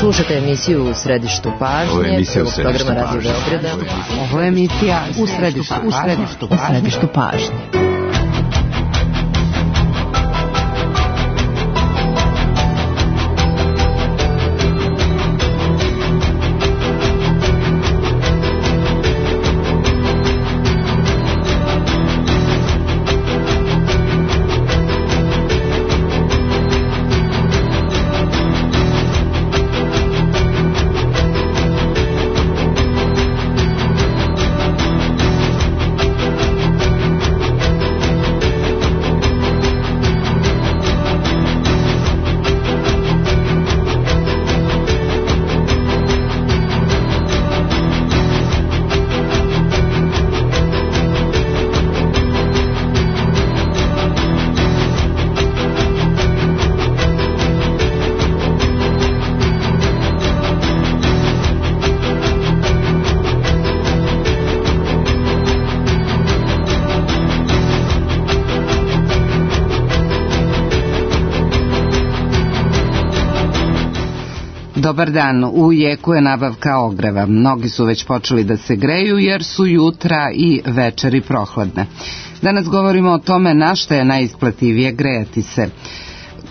Slušate emisiju U središtu pažnje, programa Radio Beograda. Ovo je emisija U središtu pažnje. Dobar dan, u jeku je nabavka ogreva. Mnogi su već počeli da se greju jer su jutra i večeri prohladne. Danas govorimo o tome na što je najisplativije grejati se.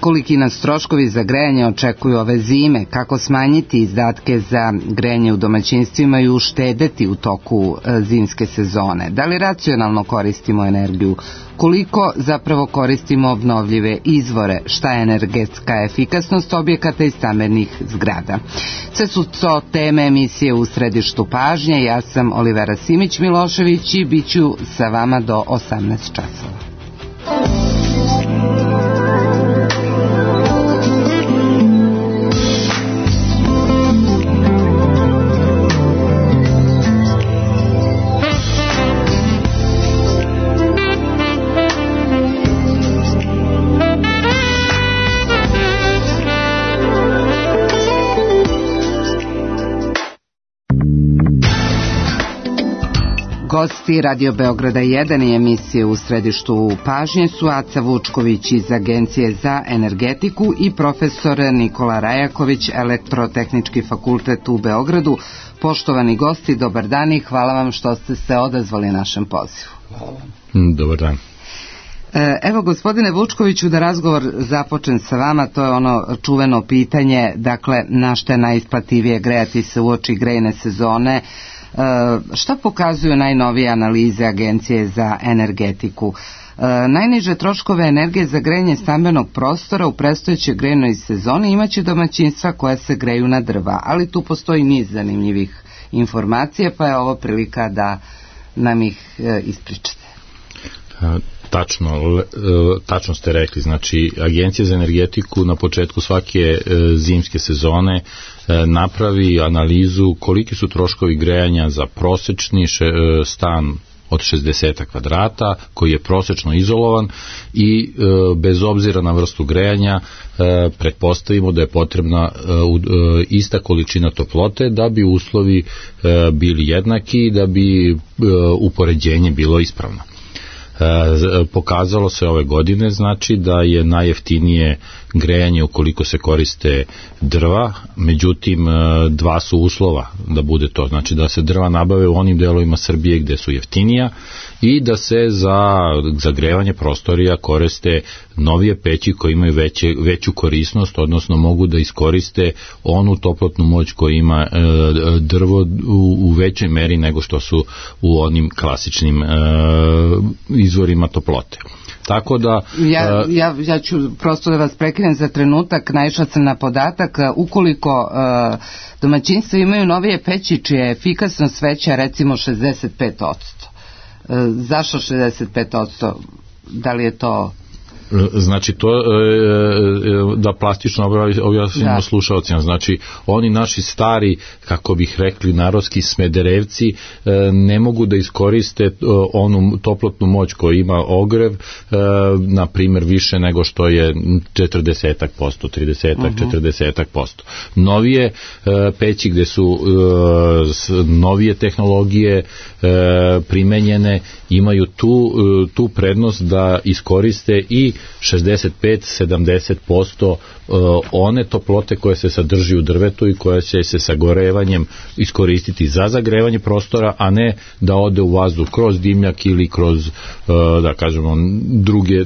Koliki nas troškovi za grejanje očekuju ove zime, kako smanjiti izdatke za grejanje u domaćinstvima i uštedeti u toku zimske sezone. Da li racionalno koristimo energiju? Koliko zapravo koristimo obnovljive izvore? Šta je energetska efikasnost objekata i stambenih zgrada? Sve su to teme emisije U središtu pažnje. Ja sam Olivera Simić-Milošević i bit ću sa vama do 18 časova. Gosti Radio Beograda 1 i emisije U središtu pažnje su Aca Vučković iz Agencije za energetiku i profesor Nikola Rajaković, Elektrotehnički fakultet u Beogradu. Poštovani gosti, dobar dan i hvala vam što ste se odazvali našem pozivu. Dobar dan. Evo, gospodine Vučkoviću, da razgovor započnem sa vama, to je ono čuveno pitanje, dakle, na što je najisplativije grejati se uoči grejne sezone. Šta pokazuju najnovije analize Agencije za energetiku? Najniže troškove energije za grejanje stambenog prostora u predstojećoj grejnoj sezoni imaće domaćinstva koja se greju na drva, ali tu postoji niz zanimljivih informacija, pa je ovo prilika da nam ih ispričate. Tačno ste rekli, znači Agencija za energetiku na početku svake zimske sezone napravi analizu koliki su troškovi grejanja za prosečni stan od 60 kvadrata koji je prosečno izolovan i bez obzira na vrstu grejanja pretpostavimo da je potrebna ista količina toplote da bi uslovi bili jednaki i da bi upoređenje bilo ispravno. Pokazalo se ove godine, znači da je najjeftinije grejanje ukoliko se koriste drva, međutim dva su uslova da bude to, znači da se drva nabave u onim delovima Srbije gde su jeftinija i da se za zagrevanje prostorija koriste novije peći koji imaju veću korisnost, odnosno mogu da iskoriste onu toplotnu moć koju ima drvo u većoj meri nego što su u onim klasičnim izvorima toplote. Tako da... Ja ću prosto da vas prekinem za trenutak, naišla sam na podatak, ukoliko domaćinstva imaju novije peći čija je efikasnost veća recimo 65%. Zašto 65%? Da li je to... Znači to da plastično objasnimo slušalcima, znači oni naši stari, kako bih rekli narodski smederevci, ne mogu da iskoriste onu toplotnu moć koju ima ogrev, na primjer više nego što je 40%, 30%. Novije peći gde su novije tehnologije primenjene imaju tu prednost da iskoriste i 65-70% one toplote koje se sadrži u drvetu i koja će se sagorevanjem iskoristiti za zagrevanje prostora, a ne da ode u vazduh kroz dimnjak ili kroz, da kažemo,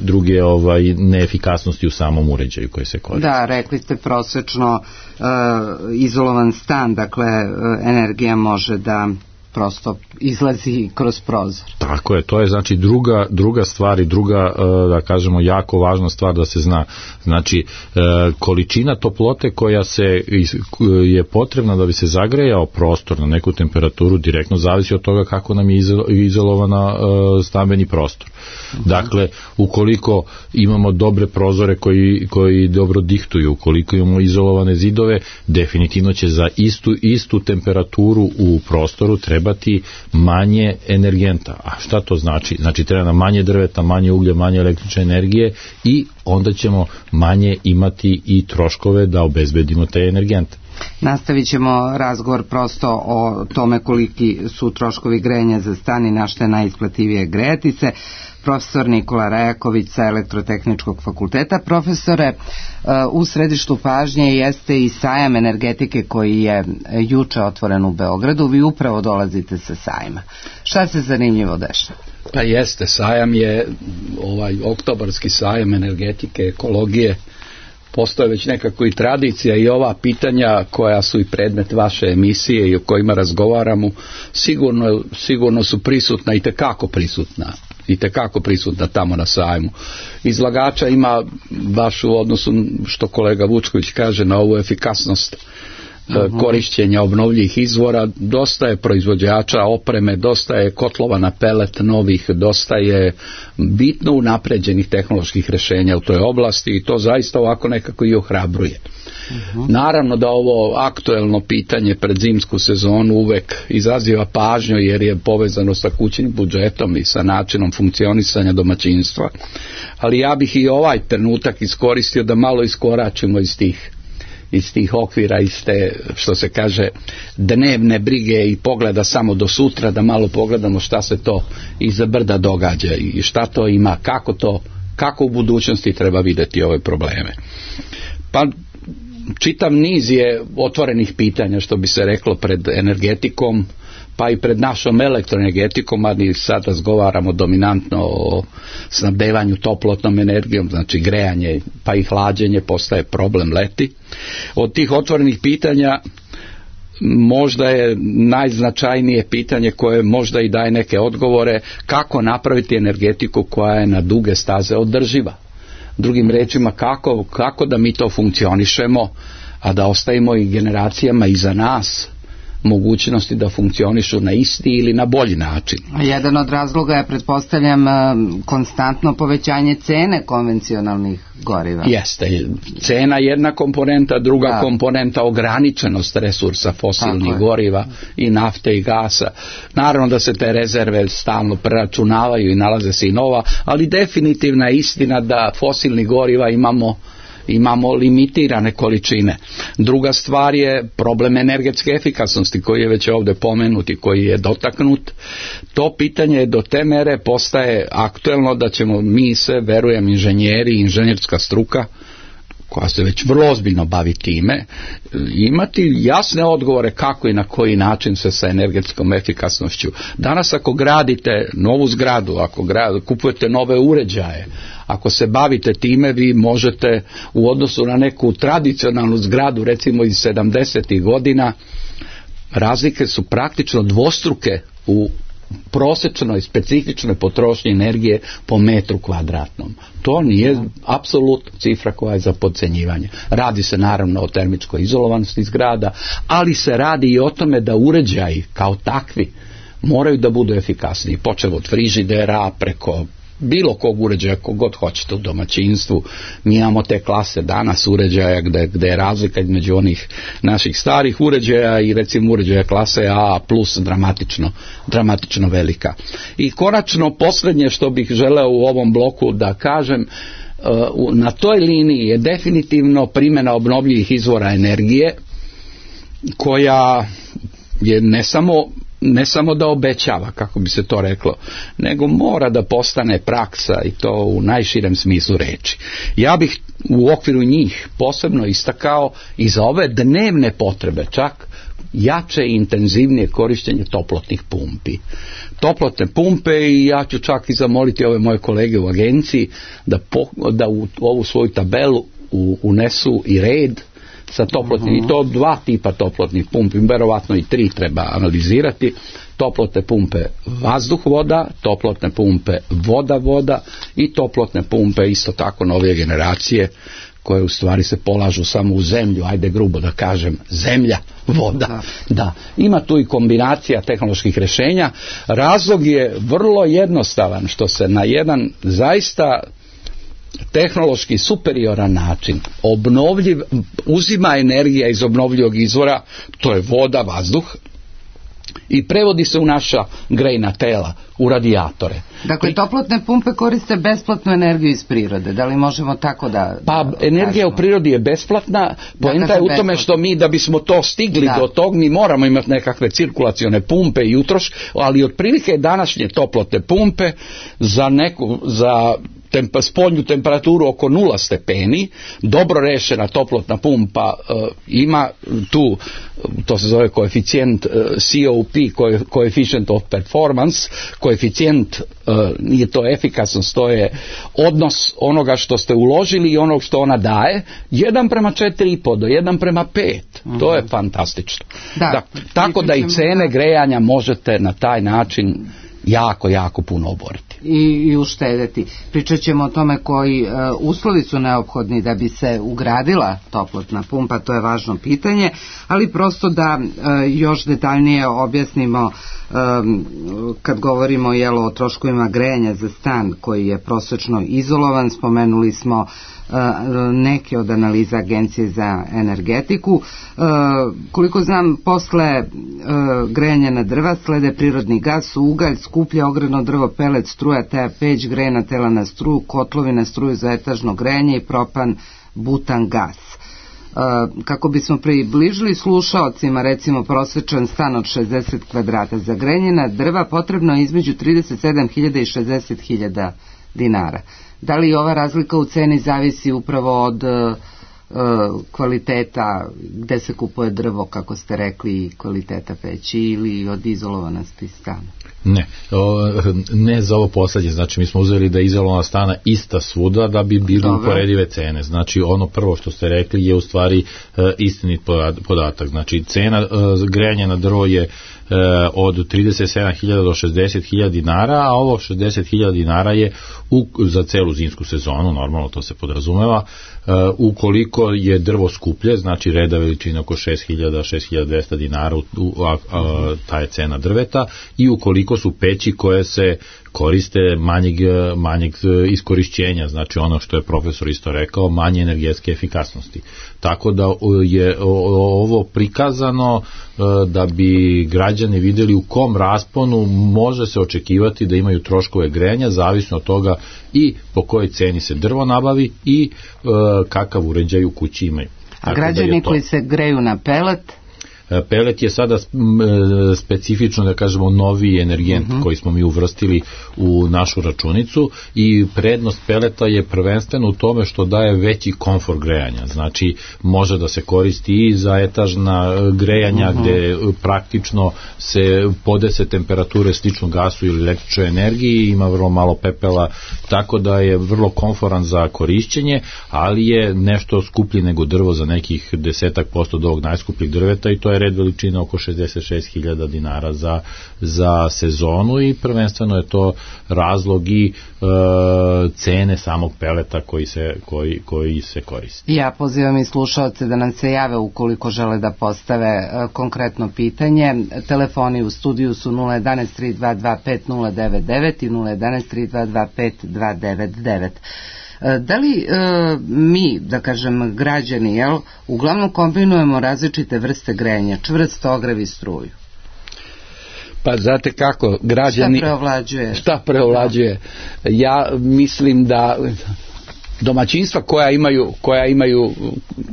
druge neefikasnosti u samom uređaju koje se koriste. Da, rekli ste prosečno izolovan stan, dakle energija može da prosto izlazi kroz prozor. Tako je, to je znači druga stvar i druga, da kažemo, jako važna stvar da se zna. Znači, količina toplote koja je potrebna da bi se zagrejao prostor na neku temperaturu direktno zavisi od toga kako nam je izolovana stambeni prostor. Dakle, ukoliko imamo dobre prozore koji dobro dihtuju, ukoliko imamo izolovane zidove, definitivno će za istu temperaturu u prostoru trebati manje energenta. A šta to znači? Znači treba nam manje drveta, manje uglja, manje električne energije i onda ćemo manje imati i troškove da obezbedimo te energente. Nastavit ćemo razgovor prosto o tome koliki su troškovi grejanja za stan i na što je najisplativije grejati se. Profesor Nikola Rajaković sa Elektrotehničkog fakulteta. Profesore, u središtu pažnje jeste i sajam energetike koji je juče otvoren u Beogradu. Vi upravo dolazite sa sajma. Šta se zanimljivo dešava? Pa jeste, sajam je oktobarski sajam energetike, ekologije. Postoje već nekako i tradicija i ova pitanja koja su i predmet vaše emisije i o kojima razgovaramo sigurno su prisutna i tekako prisutna tamo na sajmu. Izlagača ima baš u odnosu što kolega Vučković kaže na ovu efikasnost korišćenja obnovljivih izvora, dosta je proizvođača opreme, dosta je kotlova na pelet novih, dosta je bitno unapređenih tehnoloških rješenja u toj oblasti i to zaista ovako nekako i ohrabruje. Naravno da ovo aktuelno pitanje pred zimsku sezonu uvek izaziva pažnju jer je povezano sa kućnim budžetom i sa načinom funkcionisanja domaćinstva, ali ja bih i ovaj trenutak iskoristio da malo iskoračimo iz tih okvira, iz te, što se kaže, dnevne brige i pogleda samo do sutra, da malo pogledamo šta se to iza brda događa i šta to ima, kako u budućnosti treba vidjeti ove probleme. Pa čitav niz je otvorenih pitanja, što bi se reklo, pred energetikom, pa i pred našom elektroenergetikom, a mi sad razgovaramo dominantno o snabdevanju toplotnom energijom, znači grejanje pa i hlađenje postaje problem leti. Od tih otvorenih pitanja možda je najznačajnije pitanje koje možda i daje neke odgovore, kako napraviti energetiku koja je na duge staze održiva. Drugim rečima, kako da mi to funkcionišemo, a da ostavimo i generacijama iza nas mogućnosti da funkcionišu na isti ili na bolji način. Jedan od razloga je, pretpostavljam, konstantno povećanje cene konvencionalnih goriva. Jeste, cena jedna komponenta, druga komponenta ograničenost resursa fosilnih goriva i nafte i gasa. Naravno da se te rezerve stalno preračunavaju i nalaze se i nova, ali definitivna je istina da fosilnih goriva imamo limitirane količine. Druga stvar je problem energetske efikasnosti koji je već ovdje pomenut i koji je dotaknut. To pitanje do te mere postaje aktuelno da ćemo mi se, verujem, inženjeri i inženjerska struka koja se već vrlo ozbiljno bavi time, imati jasne odgovore kako i na koji način se sa energetskom efikasnošću. Danas ako gradite novu zgradu, kupujete nove uređaje, ako se bavite time, vi možete u odnosu na neku tradicionalnu zgradu, recimo iz 70. godina, razlike su praktično dvostruke u prosječnoj specifičnoj potrošnji energije po metru kvadratnom. To nije apsolutno cifra koja je za podcenjivanje. Radi se naravno o termičkoj izolovanosti zgrada, ali se radi i o tome da uređaji kao takvi moraju da budu efikasniji, počev od frižidera preko bilo kog uređaja, kogod hoćete u domaćinstvu. Mi imamo te klase danas uređaja gde je razlika između onih naših starih uređaja i recimo uređaja klase A plus dramatično velika. I konačno posljednje što bih želeo u ovom bloku da kažem, na toj liniji je definitivno primjena obnovljivih izvora energije koja je ne samo ne samo da obećava, kako bi se to reklo, nego mora da postane praksa i to u najširem smislu reči. Ja bih u okviru njih posebno istakao i za ove dnevne potrebe čak jače i intenzivnije korištenje toplotnih pumpi. Toplotne pumpe, i ja ću čak i zamoliti ove moje kolege u agenciji da u ovu svoju tabelu unesu i red sa toplotnim, i to 2 tipa toplotnih pumpi, verovatno i 3 treba analizirati. Toplotne pumpe vazduh-voda, toplotne pumpe voda-voda i toplotne pumpe isto tako novije generacije, koje u stvari se polažu samo u zemlju, ajde grubo da kažem, zemlja, voda. Da, ima tu i kombinacija tehnoloških rješenja. Razlog je vrlo jednostavan, što se na jedan zaista tehnološki superioran način uzima energija iz obnovljivog izvora, to je voda, vazduh, i prevodi se u naša grejna tela, u radijatore. Dakle, toplotne pumpe koriste besplatnu energiju iz prirode. Da li možemo tako da... Pa, energija u prirodi je besplatna. Poenta je u tome što mi, da bismo to stigli do tog, mi moramo imati nekakve cirkulacione pumpe i utrošk, ali otprilike današnje toplotne pumpe za spoljnu temperaturu oko 0 stepeni, dobro rešena toplotna pumpa ima tu, to se zove koeficijent COP, coefficient of performance, koeficijent, nije to efikasnost, to je odnos onoga što ste uložili i onog što ona daje, 1:4,5 do 1:5. To je fantastično. Tako da i cene grejanja možete na taj način jako, jako puno oboriti. I uštedeti. Pričat ćemo o tome koji uslovi su neophodni da bi se ugradila toplotna pumpa, to je važno pitanje, ali prosto da još detaljnije objasnimo kad govorimo o troškovima grejanja za stan koji je prosečno izolovan. Spomenuli smo neke od analiza Agencije za energetiku. Koliko znam, posle grejanja na drva slede prirodni gas, ugalj, skuplje ogrevno drvo, pelet, struja, teja, peć, grejna tela na struju, kotlovi na struju za etažno grejanje i propan, butan, gas. Kako bismo približili slušaocima, recimo prosječan stan od 60 kvadrata, za grejanje na drva potrebno je između 37.000 i 60.000 dinara. Da li ova razlika u ceni zavisi upravo od kvaliteta gde se kupuje drvo, kako ste rekli, i kvaliteta peći, ili od izolovanosti stana? Ne za ovo poslednje, znači mi smo uzeli da je izolovana stana ista svuda da bi bili uporedive cene. Znači ono prvo što ste rekli je u stvari istinit podatak. Znači cena grejanja na drvo je od 37.000 do 60.000 dinara, a ovo 60.000 dinara je za celu zimsku sezonu, normalno to se podrazumeva. Ukoliko je drvo skuplje, znači reda veličina oko 6.000-6.200 dinara, ta je cena drveta, i ukoliko su peći koje se koriste manjeg iskorišćenja, znači ono što je profesor isto rekao, manje energetske efikasnosti. Tako da je ovo prikazano da bi građani vidjeli u kom rasponu može se očekivati da imaju troškove grejanja, zavisno od toga i po kojoj ceni se drvo nabavi i kakav uređaj u kući imaju. A građani koji se greju na pelet? Pelet je sada specifično, da kažemo, novi energent koji smo mi uvrstili u našu računicu, i prednost peleta je prvenstveno u tome što daje veći komfor grejanja. Znači može da se koristi i za etažna grejanja gde praktično se podese temperature slično gasu ili električnoj energiji, ima vrlo malo pepela, tako da je vrlo komforan za korišćenje, ali je nešto skuplji nego drvo za nekih 10% od ovog najskupljih drveta, i to je red veličina oko 66.000 dinara za sezonu, i prvenstveno je to razlog i cene samog peleta koji se koristi. Ja pozivam i slušaoce da nam se jave ukoliko žele da postave konkretno pitanje. Telefoni u studiju su 011-3225-099 i 011-3225-299. Da li mi, da kažem građani, uglavnom kombinujemo različite vrste grejanja, čvrst, ogrev i struju? Pa znate kako, građani... Šta preovlađuje? Ja mislim da domaćinstva koja imaju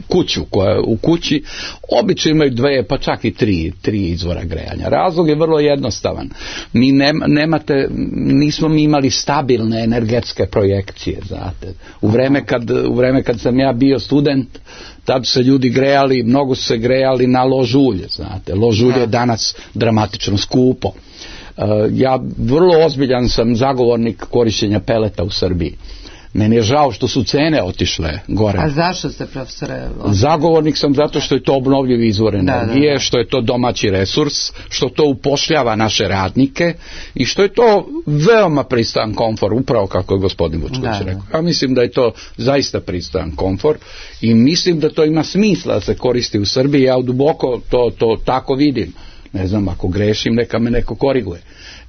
kuću, koja u kući obično imaju 2, pa čak i 3 izvora grejanja. Razlog je vrlo jednostavan. Nismo mi imali stabilne energetske projekcije, znate. U vreme kad sam ja bio student, tad se ljudi grejali, mnogo su se grejali na lož ulje, znate. Lož ulje je danas dramatično skupo. Ja vrlo ozbiljan sam zagovornik korištenja peleta u Srbiji. Meni je žao što su cene otišle gore. A zašto ste, profesore? Zagovornik sam zato što je to obnovljivi izvor energije, što je to domaći resurs, što to upošljava naše radnike i što je to veoma pristojan komfor, upravo kako je gospodin Vučković rekao. Ja mislim da je to zaista pristojan komfor i mislim da to ima smisla da se koristi u Srbiji. Ja duboko to tako vidim. Ne znam, ako grešim, neka me neko koriguje.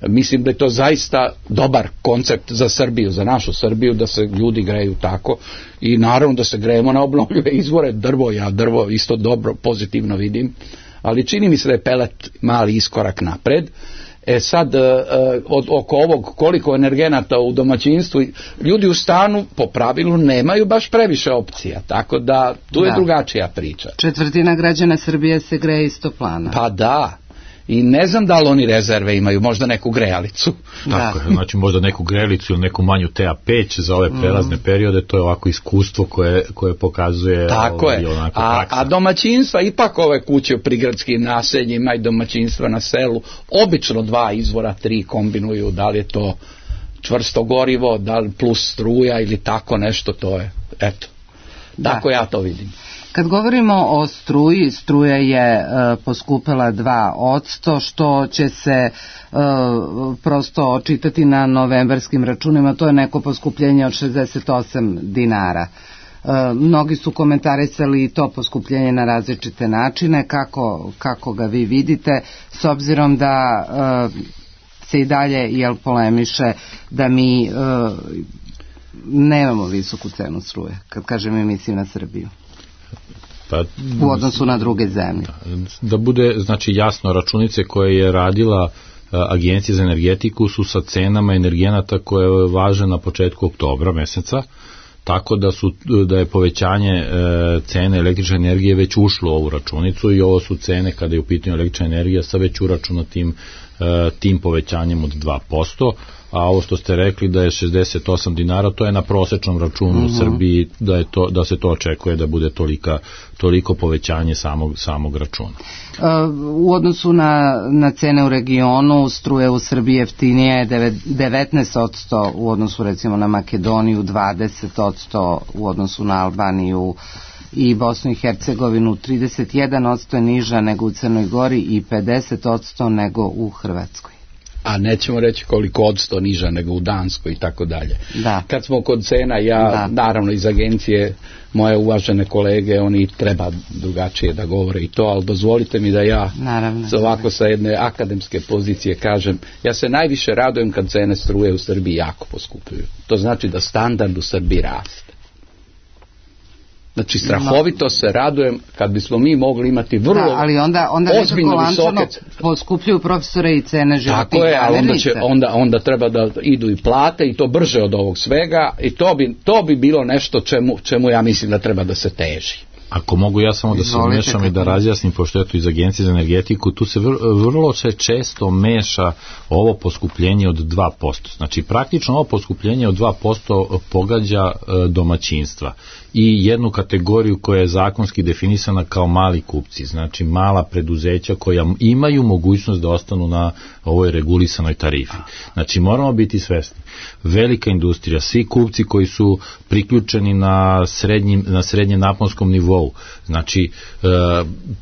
Mislim da je to zaista dobar koncept za Srbiju, za našu Srbiju, da se ljudi greju tako i naravno da se grejemo na obnovljive izvore. Drvo isto dobro, pozitivno vidim, ali čini mi se da je pelet mali iskorak napred. Sad, oko ovog koliko energenata u domaćinstvu, ljudi u stanu po pravilu nemaju baš previše opcija, tako da tu je drugačija priča. 1/4 građana Srbije se greje iz toplana. Pa da. I ne znam da li oni rezerve imaju, možda neku grejalicu. Tako je, znači možda neku grejalicu ili neku manju TA peć za ove prelazne periode, to je ovako iskustvo koje pokazuje tako je. A domaćinstva, ipak ove kuće u prigradskim naseljima i domaćinstva na selu, obično 2 izvora, 3 kombinuju, da li je to čvrsto gorivo, da li plus struja ili tako nešto, to je, eto, tako ja to vidim. Kad govorimo o struji, struja je poskupela 2%, što će se prosto očitati na novembarskim računima, to je neko poskupljenje od 68 dinara. Mnogi su komentarisali to poskupljenje na različite načine, kako ga vi vidite, s obzirom da se i dalje polemiše da mi nemamo visoku cenu struje, kad kažem mi mislim na Srbiju. U odnosu na druge zemlje. Da bude znači jasno, računice koje je radila Agencija za energetiku su sa cenama energenata koje važe na početku oktobra meseca, tako da je povećanje cene električne energije već ušlo u ovu računicu i ovo su cene kada je u pitanju električna energija sa već uračunatim tim povećanjem od 2%, a ovo što ste rekli da je 68 dinara, to je na prosečnom računu u Srbiji, da se to očekuje da bude toliko povećanje samog računa. U odnosu na cene u regionu, struje u Srbiji jeftinije je 19% u odnosu recimo na Makedoniju, 20% u odnosu na Albaniju i Bosnu i Hercegovinu, 31% je niža nego u Crnoj Gori i 50% nego u Hrvatskoj. A nećemo reći koliko odsto niža nego u Danskoj i tako dalje. Kad smo kod cena, naravno iz agencije, moje uvažene kolege, oni treba drugačije da govore i to, ali dozvolite mi da ja ovako sa jedne akademske pozicije kažem, ja se najviše radujem kad cene struje u Srbiji jako poskupljuju. To znači da standard u Srbiji raste. Znači, strahovito se radujem kad bismo mi mogli imati vrlo ozbiljno visoke... poskupljuju profesore i cene životnih tako je, ali onda treba da idu i plate i to brže od ovog svega i to bi bilo nešto čemu ja mislim da treba da se teži. Ako mogu ja samo da se umešam i da razjasnim, pošto je to iz Agencije za energetiku, tu se vrlo često meša ovo poskupljenje od 2%. Znači, praktično ovo poskupljenje od 2% pogađa domaćinstva i jednu kategoriju koja je zakonski definisana kao mali kupci, znači mala preduzeća koja imaju mogućnost da ostanu na ovoj regulisanoj tarifi. Znači, moramo biti svesni. Velika industrija, svi kupci koji su priključeni na srednjem naponskom nivou, znači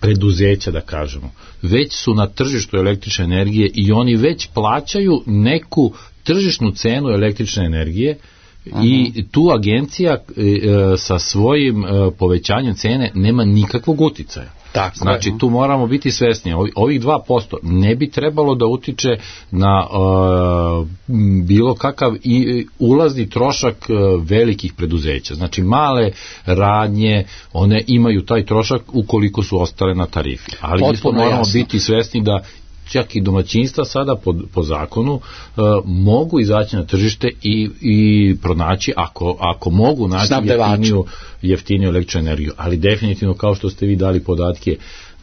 preduzeća da kažemo, već su na tržištu električne energije i oni već plaćaju neku tržišnu cenu električne energije i tu agencija sa svojim povećanjem cene nema nikakvog uticaja. Znači tu moramo biti svesni, ovih 2% ne bi trebalo da utiče na bilo kakav ulazni trošak velikih preduzeća. Znači male radnje, one imaju taj trošak ukoliko su ostale na tarifi. Ali isto moramo biti svesni da čak i domaćinstva sada po zakonu mogu izaći na tržište i pronaći, ako mogu naći jeftiniju električnu energiju, ali definitivno, kao što ste vi dali podatke,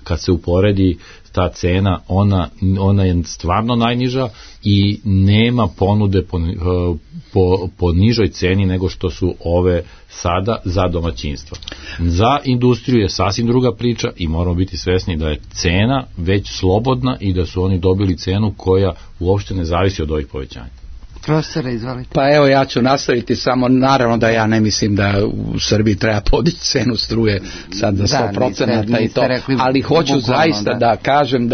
kad se uporedi ta cena, ona je stvarno najniža i nema ponude po nižoj ceni nego što su ove sada za domaćinstva. Za industriju je sasvim druga priča i moramo biti svesni da je cena već slobodna i da su oni dobili cenu koja uopšte ne zavisi od ovih povećanja. Profesore, izvolite. Pa evo, ja ću nastaviti, samo naravno da ja ne mislim da u Srbiji treba podići cenu struje sad za 100% i to, ali hoću zaista da kažem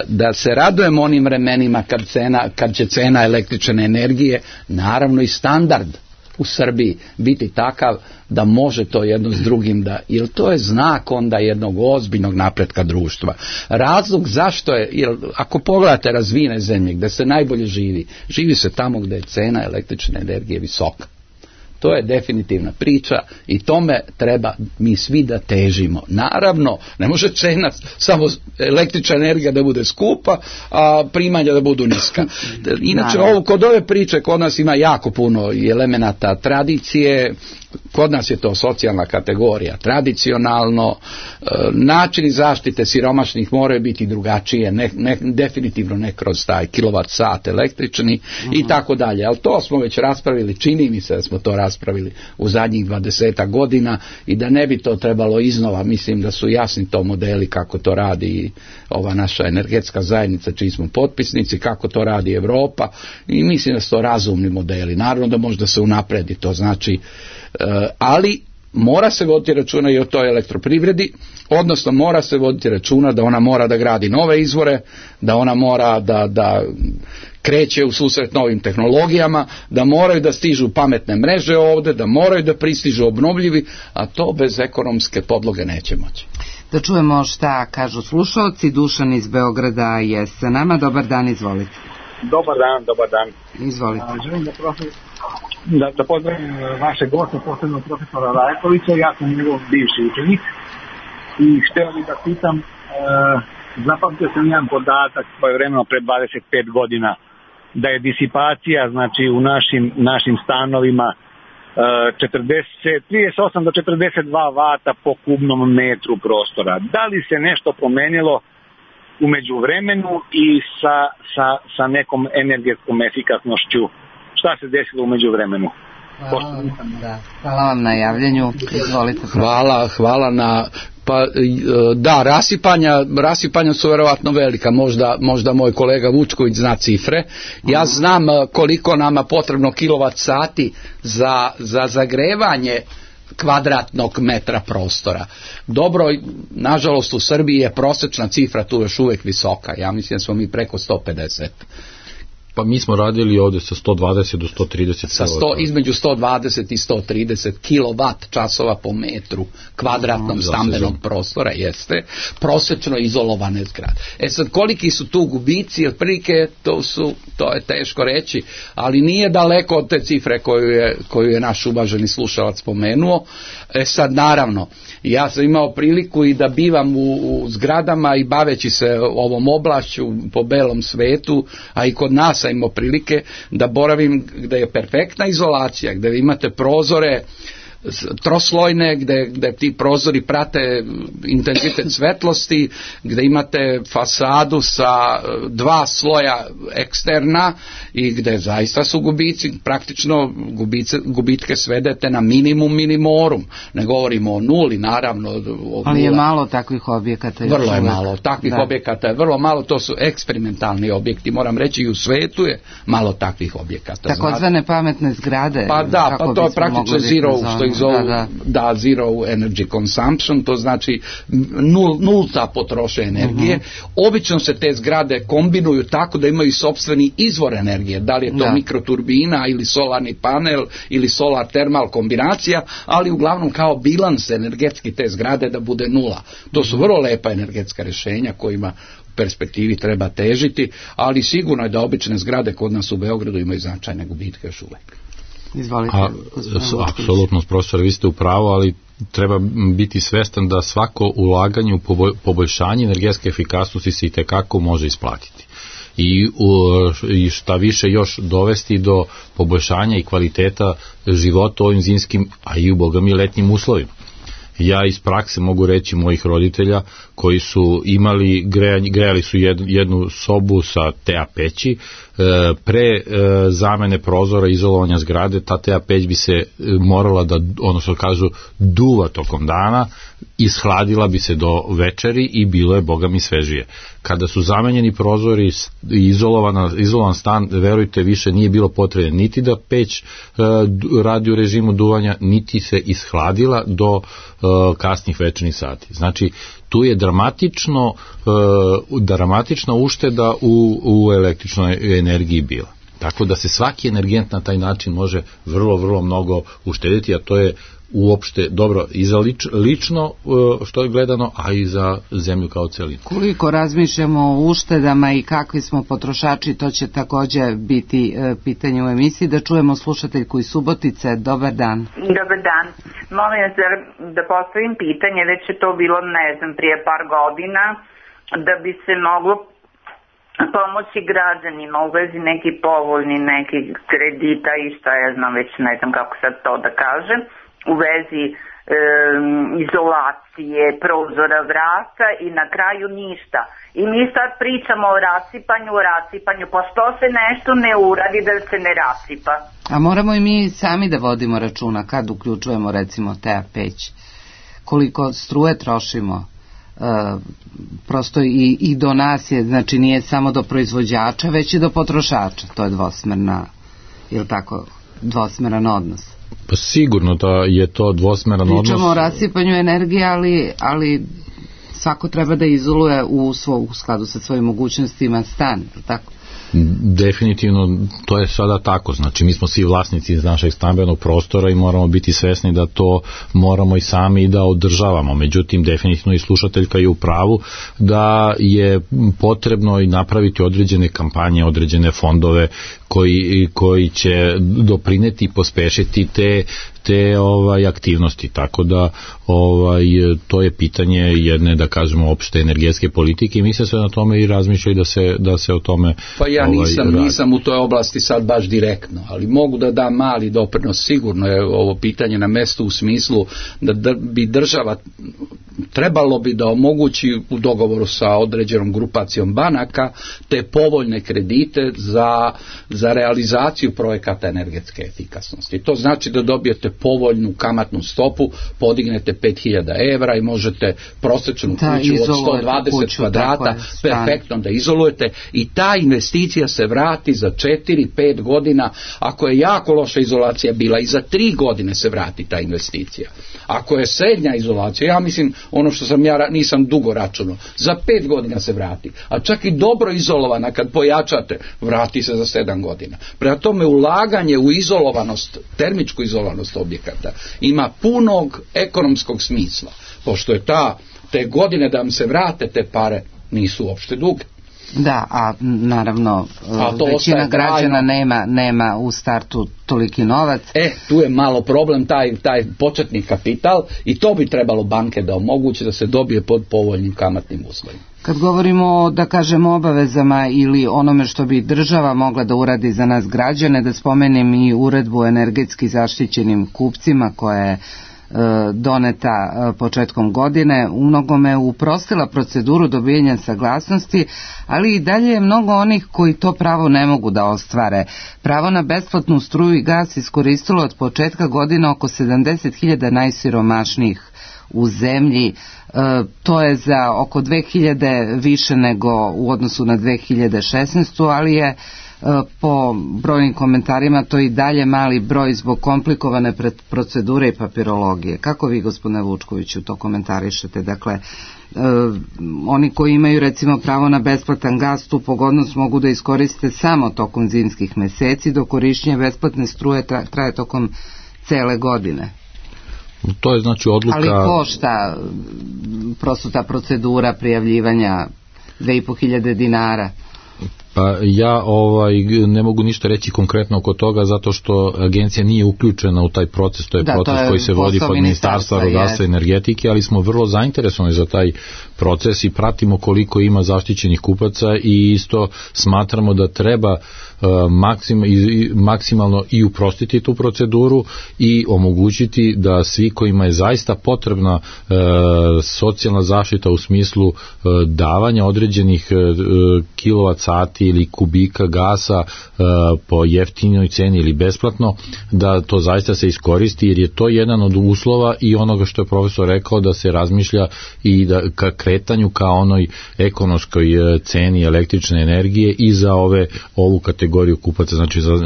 da se radujem onim vremenima kad će cena električne energije, naravno i standard u Srbiji biti takav da može to jedno s drugim jer to je znak onda jednog ozbiljnog napretka društva. Razlog zašto je, jer ako pogledate razvijene zemlje gdje se najbolje živi se tamo gdje je cena električne energije visoka. To je definitivna priča i tome treba mi svi da težimo. Naravno, ne može cena samo električna energija da bude skupa, a primanja da budu niska. Inače, kod ove priče kod nas ima jako puno elemenata tradicije, kod nas je to socijalna kategorija, tradicionalno, načini zaštite siromašnih moraju biti drugačije, definitivno ne kroz taj kilovat sat električni i tako dalje, ali to smo već raspravili, čini mi se da smo to raspravili u zadnjih 20 godina i da ne bi to trebalo iznova, mislim da su jasni to modeli kako to radi ova naša energetska zajednica čiji smo potpisnici, kako to radi Europa i mislim da su to razumni modeli, naravno da možda se unapredi, to znači ali mora se voditi računa i o toj elektroprivredi, odnosno mora se voditi računa da ona mora da gradi nove izvore, da ona mora da kreće u susret novim tehnologijama, da moraju da stižu pametne mreže ovdje, da moraju da pristižu obnovljivi, a to bez ekonomske podloge neće moći. Da čujemo šta kažu slušalci. Dušan iz Beograda je sa nama. Dobar dan, izvolite. Dobar dan. Izvolite. Želim da pozdravim vaše goste, posebno profesora Rajkovića. Ja sam njegov bivši učenik i htio bih da pitam, zapamtio sam jedan podatak svojevremeno pre 25 godina, da je disipacija, znači u našim stanovima 38 do 42 vata po kubnom metru prostora. Da li se nešto promenilo u međuvremenu i sa nekom energetskom efikasnošću? Šta se desilo u međuvremenu? Hvala vam na javljanju. Izvolite. Hvala na... Pa da, rasipanja su vjerovatno velika, možda moj kolega Vučković zna cifre. Ja znam koliko nama potrebno kilovat sati za zagrevanje kvadratnog metra prostora. Dobro, nažalost u Srbiji je prosječna cifra tu još uvijek visoka, ja mislim da smo mi preko 150. Pa mi smo radili ovdje sa 120 do 130 između 120 i 130 kilovat časova po metru kvadratnom stambenog prostora, jeste prosječno izolovane zgrade. Sad, koliki su tu gubici, otprilike to je teško reći, ali nije daleko od te cifre koju je naš uvaženi slušalac spomenuo. Sad, naravno, ja sam imao priliku i da bivam u zgradama i baveći se ovom oblašću po belom svetu, a i kod nas sam imao prilike da boravim gdje je perfektna izolacija, gdje imate prozore troslojne, gdje ti prozori prate intenzitet svetlosti, gdje imate fasadu sa 2 sloja eksterna i gdje zaista su gubici, praktično gubitke svedete na minimum minimorum. Ne govorimo o nuli, naravno. Ali je malo takvih objekata. Vrlo je malo. Takvih objekata je vrlo malo, to su eksperimentalni objekti. Moram reći, i u svetu je malo takvih objekata. Takozvane pametne zgrade. Pa da, pa to je praktično zero, što ih zovu, zero energy consumption, to znači nulta potrošnja energije. Obično se te zgrade kombinuju tako da imaju sopstveni izvor energije, da li je to mikroturbina ili solarni panel ili solar termal kombinacija, ali uglavnom kao bilans energetski te zgrade da bude nula. To su vrlo lepa energetska rješenja kojima u perspektivi treba težiti, ali sigurno je da obične zgrade kod nas u Beogradu imaju značajne gubitke još uvijek. Izvolite. Apsolutno, profesor, vi ste u pravu, ali treba biti svestan da svako ulaganje u poboljšanje energetske efikasnosti se itekako može isplatiti. I šta više još dovesti do poboljšanja i kvaliteta života u ovim zimskim, a i u bogami letnjim uslovima. Ja iz prakse mogu reći mojih roditelja koji su imali grejali su jednu sobu sa TA peći, pre zamene prozora i izolovanja zgrade ta TA peć bi se morala da, ono što kažu, duva tokom dana, ishladila bi se do večeri i bilo je bogami svežije. Kada su zamenjeni prozori i izolovan stan, verujte, više nije bilo potrebe niti da peć radi u režimu duvanja, niti se ishladila do kasnih večernjih sati. Znači, tu je dramatična ušteda u električnoj energiji bila. Tako da se svaki energent na taj način može vrlo, vrlo mnogo uštediti, a to je uopšte dobro i za lično što je gledano, a i za zemlju kao celinu. Koliko razmišljamo o uštedama i kakvi smo potrošači, to će također biti pitanje u emisiji. Da čujemo slušateljku iz Subotice. Dobar dan. Dobar dan. Molim vas da postavim pitanje, već je to bilo, ne znam, prije par godina, da bi se moglo pomoći građanima u vezi neki povoljni, neki kredita i šta ja znam, već ne znam kako sad to da kažem, u vezi izolacije, prozora, vrata i na kraju ništa. I mi sad pričamo o rasipanju, pa što se nešto ne uradi da se ne rasipa? A moramo i mi sami da vodimo računa kad uključujemo recimo TA peć, koliko struje trošimo. Prosto i do nas je, znači nije samo do proizvođača, već i do potrošača. To je dvosmeran odnos. Pa sigurno da je to dvosmeran odnos. Pričamo o rasipanju energije, ali svako treba da izoluje u skladu sa svojim mogućnostima stan, tako? Definitivno, to je sada tako. Znači, mi smo svi vlasnici iz našeg stambenog prostora i moramo biti svesni da to moramo i sami da održavamo. Međutim, definitivno i slušateljka je u pravu da je potrebno i napraviti određene kampanje, određene fondove koji će doprineti i pospešiti te aktivnosti, tako da to je pitanje jedne, da kažemo, opšte energetske politike i mi se sve na tome i razmišljaju da se o tome pa ja nisam u toj oblasti sad baš direktno, ali mogu da dam mali doprinos. Sigurno je ovo pitanje na mestu u smislu da bi država trebalo bi da omogući u dogovoru sa određenom grupacijom banaka te povoljne kredite za realizaciju projekata energetske efikasnosti. To znači da dobijete povoljnu kamatnu stopu, podignete 5.000 evra i možete prosječnu kuću od 120 kvadrata perfektno da izolujete i ta investicija se vrati za 4-5 godina. Ako je jako loša izolacija bila, i za 3 godine se vrati ta investicija. Ako je srednja izolacija, ja mislim, ono što nisam dugo računao, za 5 godina se vrati. A čak i dobro izolovana, kad pojačate, vrati se za 7 godina. Prema tome, ulaganje u izolovanost, termičku izolovanost objekata ima punog ekonomskog smisla, pošto je te godine da vam se vrate te pare nisu uopšte duge. Da, a naravno većina građana nema u startu toliki novac. Tu je malo problem, taj početni kapital, i to bi trebalo banke da omoguće da se dobije pod povoljnim kamatnim uslovima. Kad govorimo o, da kažemo, obavezama ili onome što bi država mogla da uradi za nas građane, da spomenem i uredbu o energetski zaštićenim kupcima koja je doneta početkom godine, u mnogome uprostila proceduru dobijanja saglasnosti, ali i dalje je mnogo onih koji to pravo ne mogu da ostvare. Pravo na besplatnu struju i gas iskoristilo od početka godine oko 70.000 najsiromašnijih u zemlji. To je za oko 2.000 više nego u odnosu na 2016. ali je po brojnim komentarima to i dalje mali broj zbog komplikovane procedure i papirologije. Kako vi, gospodine Vučkoviću, to komentarišete? Dakle, oni koji imaju recimo pravo na besplatan gas, tu pogodnost mogu da iskoriste samo tokom zimskih meseci, dok korišćenje besplatne struje traje tokom cele godine. To je znači odluka... Ali košta prosto ta procedura prijavljivanja 2.500 dinara. Pa ja ne mogu ništa reći konkretno oko toga zato što agencija nije uključena u taj proces, to je proces koji se vodi pod Ministarstva rudarstva i energetike, ali smo vrlo zainteresovani za taj proces i pratimo koliko ima zaštićenih kupaca i isto smatramo da treba maksimalno i uprostiti tu proceduru i omogućiti da svi kojima je zaista potrebna socijalna zaštita u smislu davanja određenih kilovat sati ili kubika gasa po jeftinoj ceni ili besplatno, da to zaista se iskoristi, jer je to jedan od uslova i onoga što je profesor rekao, da se razmišlja i da ka kretanju ka onoj ekonomskoj ceni električne energije i za ovu kategoriju kupaca,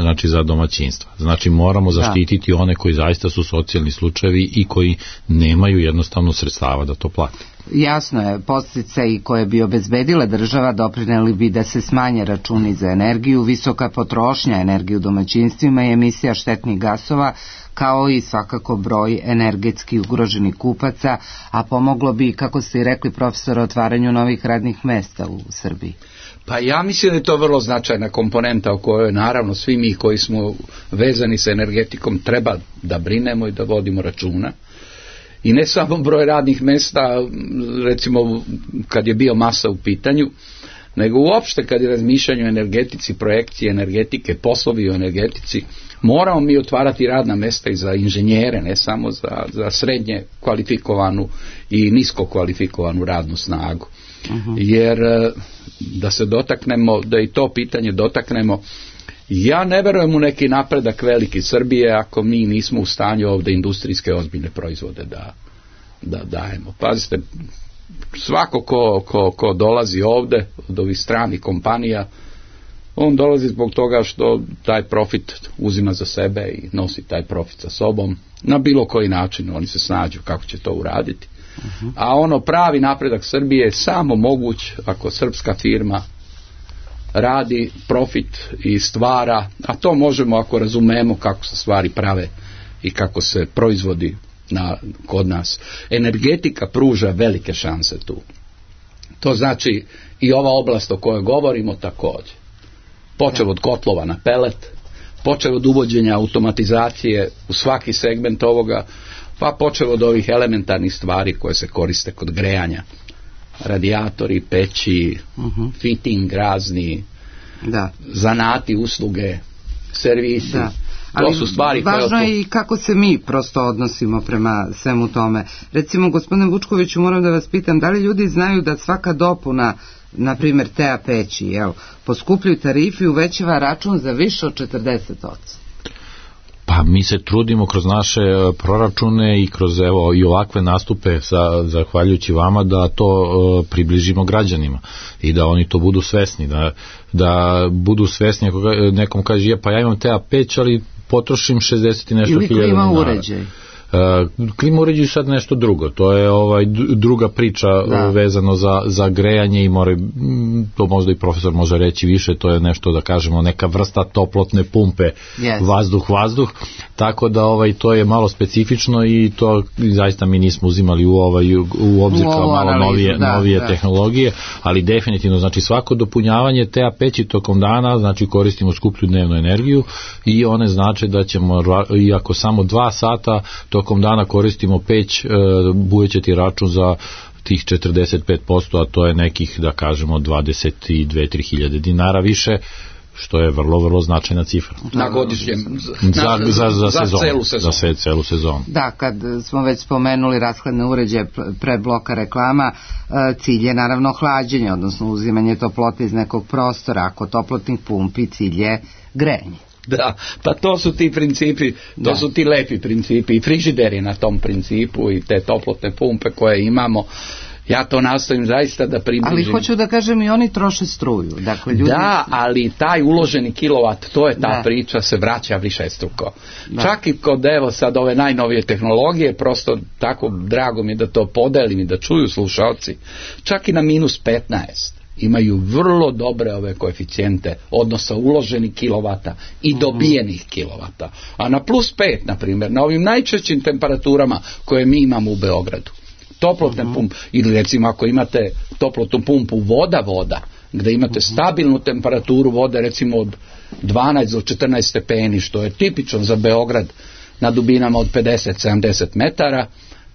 znači za domaćinstva. Znači moramo zaštititi one koji zaista su socijalni slučajevi i koji nemaju jednostavno sredstava da to plate. Jasno je, podsticaji koje bi obezbedila država doprineli bi da se smanje računi za energiju, visoka potrošnja energije u domaćinstvima i emisija štetnih gasova, kao i svakako broj energetski ugroženih kupaca, a pomoglo bi, kako ste i rekli profesor, otvaranju novih radnih mesta u Srbiji. Pa ja mislim da je to vrlo značajna komponenta o kojoj naravno svi mi koji smo vezani sa energetikom treba da brinemo i da vodimo računa. I ne samo broj radnih mesta, recimo kad je biomasa u pitanju, nego uopšte kad je razmišljanje o energetici, projekcije energetike, poslovi o energetici, moramo mi otvarati radna mesta i za inženjere, ne samo za srednje kvalifikovanu i nisko kvalifikovanu radnu snagu. Jer da se dotaknemo, da i to pitanje dotaknemo, ja ne verujem u neki napredak veliki Srbije ako mi nismo u stanju ovdje industrijske ozbiljne proizvode da dajemo. Pazite, svako ko dolazi ovdje od ovih stranih kompanija, on dolazi zbog toga što taj profit uzima za sebe i nosi taj profit sa sobom. Na bilo koji način oni se snađu kako će to uraditi. A pravi napredak Srbije je samo moguć ako srpska firma radi profit i stvara, a to možemo ako razumemo kako se stvari prave i kako se proizvodi kod nas. Energetika pruža velike šanse tu. To znači i ova oblast o kojoj govorimo također. Počev od kotlova na pelet, počev od uvođenja automatizacije u svaki segment ovoga, pa počev od ovih elementarnih stvari koje se koriste kod grejanja. Radijatori, peći, fitting razni, zanati, usluge, servisi. To su stvari koje... Važno je i kako se mi prosto odnosimo prema svemu tome. Recimo, gospodine Vučkoviću, moram da vas pitam, da li ljudi znaju da svaka dopuna, na primjer TA peći, poskupljuju tarifi i uvećava račun za više od 40%? Pa mi se trudimo kroz naše proračune i kroz i ovakve nastupe zahvaljujući vama da to približimo građanima i da oni to budu svesni, da budu svesni ako nekom kaže pa ja imam TA peć ali potrošim 60 i nešto hiljada dinara. Ili klima uređaj. Klima uređaju sad nešto drugo, to je druga priča vezano za grejanje i to možda i profesor može reći više, to je nešto da kažemo neka vrsta toplotne pumpe, vazduh, tako da to je malo specifično i to zaista mi nismo uzimali u obzir kao malo novije tehnologije, ali definitivno znači svako dopunjavanje TA peći tokom dana, znači koristimo skuplju dnevnu energiju i one znači da ćemo, iako samo 2 sata tokom dana koristimo peć, bude će ti račun za tih 45%, a to je nekih, da kažemo, 22-3 hiljade dinara više, što je vrlo, vrlo značajna cifra. Na godišnjem, za celu sezonu. Da, kad smo već spomenuli rashladne uređaje pre bloka reklama, cilj je naravno hlađenje, odnosno uzimanje toplote iz nekog prostora, ako toplotnih pumpi, cilj je grejanje. Da, pa to su ti principi, su ti lepi principi i frižider je na tom principu i te toplotne pumpe koje imamo. Ja to nastojim zaista da približim. Ali hoću da kažem i oni troše struju. Dakle, ljudi... Da, ali taj uloženi kilovat, to je ta priča, se vraća višestruko. Čak i kod sad ove najnovije tehnologije, prosto tako drago mi je da to podelim i da čuju slušalci, čak i na -15. Imaju vrlo dobre ove koeficijente odnosa uloženih kilovata i dobijenih kilovata. A na +5, na primjer, na ovim najčešćim temperaturama koje mi imamo u Beogradu, toplotne pumpe, ili recimo ako imate toplotnu pumpu voda, gde imate stabilnu temperaturu vode, recimo od 12 do 14 stepeni, što je tipično za Beograd na dubinama od 50-70 metara,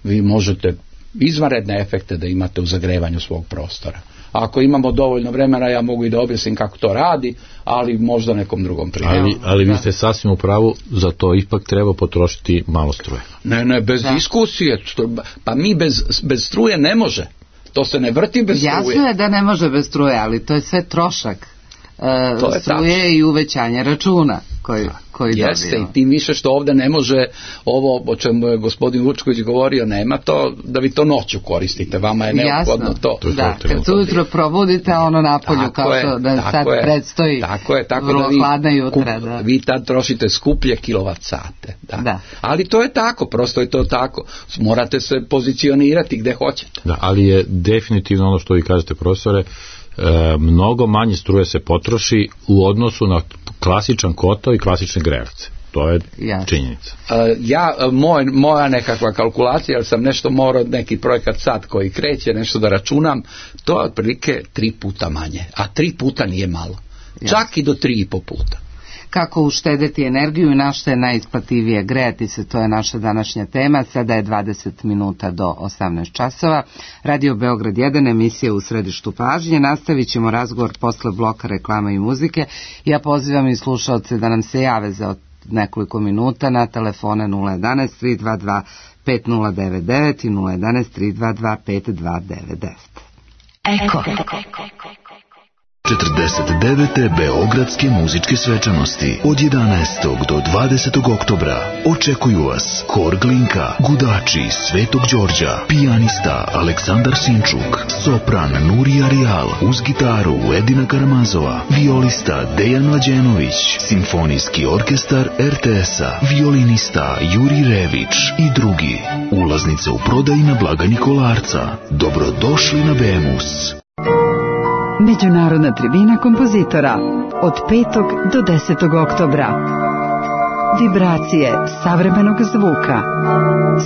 vi možete izvanredne efekte da imate u zagrevanju svog prostora. Ako imamo dovoljno vremena, ja mogu i da objasnim kako to radi, ali možda nekom drugom primjeru. Ali vi ste sasvim u pravu, za to ipak treba potrošiti malo struje. Ne, bez diskusije. Pa mi bez struje ne može. To se ne vrti bez struje. Jasno je da ne može bez struje, ali to je sve trošak struje i uvećanje računa koji jeste, dobijemo. I tim više što ovdje ne može ovo o čemu je gospodin Vučković govorio, nema to da vi to noću koristite, vama je neophodno to. Da, kad se ujutro probudite, ono napolju kao što da sad predstoji vrlo hladna jutra. Vi tad trošite skuplje kilovat sate. Da. Ali to je tako, prosto je to tako. Morate se pozicionirati gde hoćete. Da, ali je definitivno ono što vi kažete, profesore, mnogo manje struje se potroši u odnosu na klasičan kotao i klasične grejavce. To je činjenica. Moja nekakva kalkulacija, jer sam nešto morao, neki projekat sad koji kreće, nešto da računam, to je otprilike 3 puta manje. A 3 puta nije malo. Čak i do 3,5 puta. Kako uštedeti energiju i na što je najisplativije grejati se, to je naša današnja tema. Sada je 20 minuta do 18 časova. Radio Beograd 1, emisija U središtu pažnje. Nastavit ćemo razgovor posle bloka reklama i muzike. Ja pozivam i slušalce da nam se jave za nekoliko minuta na telefone 011 322 5099 i 011 322 5299. Eko. 49. Beogradske muzičke svečanosti od 11. do 20. oktobra očekuju vas Hor Glinka, Gudači Svetog Đorđa, pijanista Aleksandar Sinčuk, sopran Nurija Rijal, uz gitaru Edina Karamazova, violista Dejan Mlađenović, simfonijski orkestar RTS-a, violinista Juri Rević i drugi. Ulaznice u prodaji na blagajni Kolarca. Dobrodošli na Bemus. Međunarodna tribina kompozitora od 5. do 10. oktobra. Vibracije savremenog zvuka.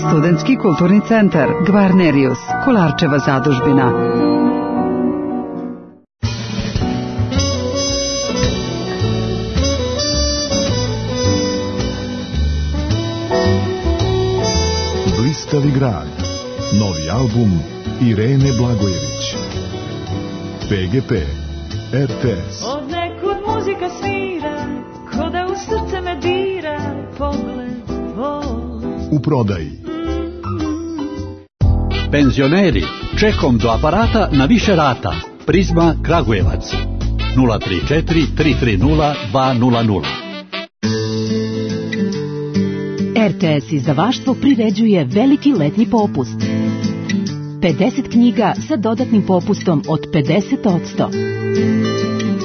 Studentski kulturni centar Gvarnerius, Kolarčeva zadužbina. Blistavi grad. Novi album Irene Blagojević. PGP, RTS. Od nekud muzika svira, ko da u srce me dira, pogled tvoj. U prodaji. Penzioneri, čekom do aparata na više rata. Prizma Kragujevac 034 330 200. RTS izdavaštvo priređuje veliki letnji popust. 50 knjiga sa dodatnim popustom od 50%.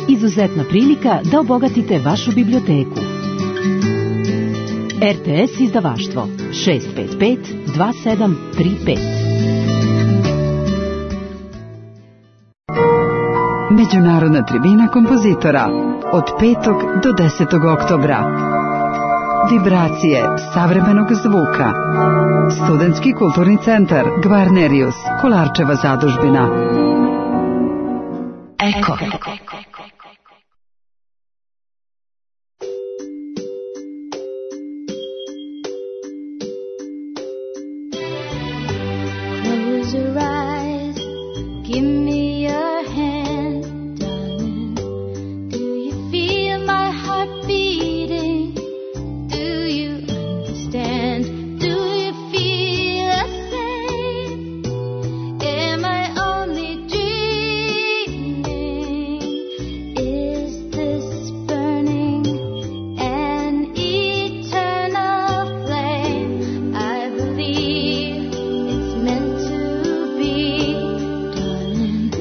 Izuzetna prilika da obogatite vašu biblioteku. RTS izdavaštvo 655 2735. Međunarodna tribina kompozitora od 5. do 10. oktobra. Vibracije savremenog zvuka. Studentski kulturni centar Gvarnerius, Kolarčeva zadužbina. Eko. Close your eyes, give me your hand, darling. Do you feel my heart beating? Do you understand? Do you feel the same? Am I only dreaming? Is this burning an eternal flame? I believe it's meant to be, darling.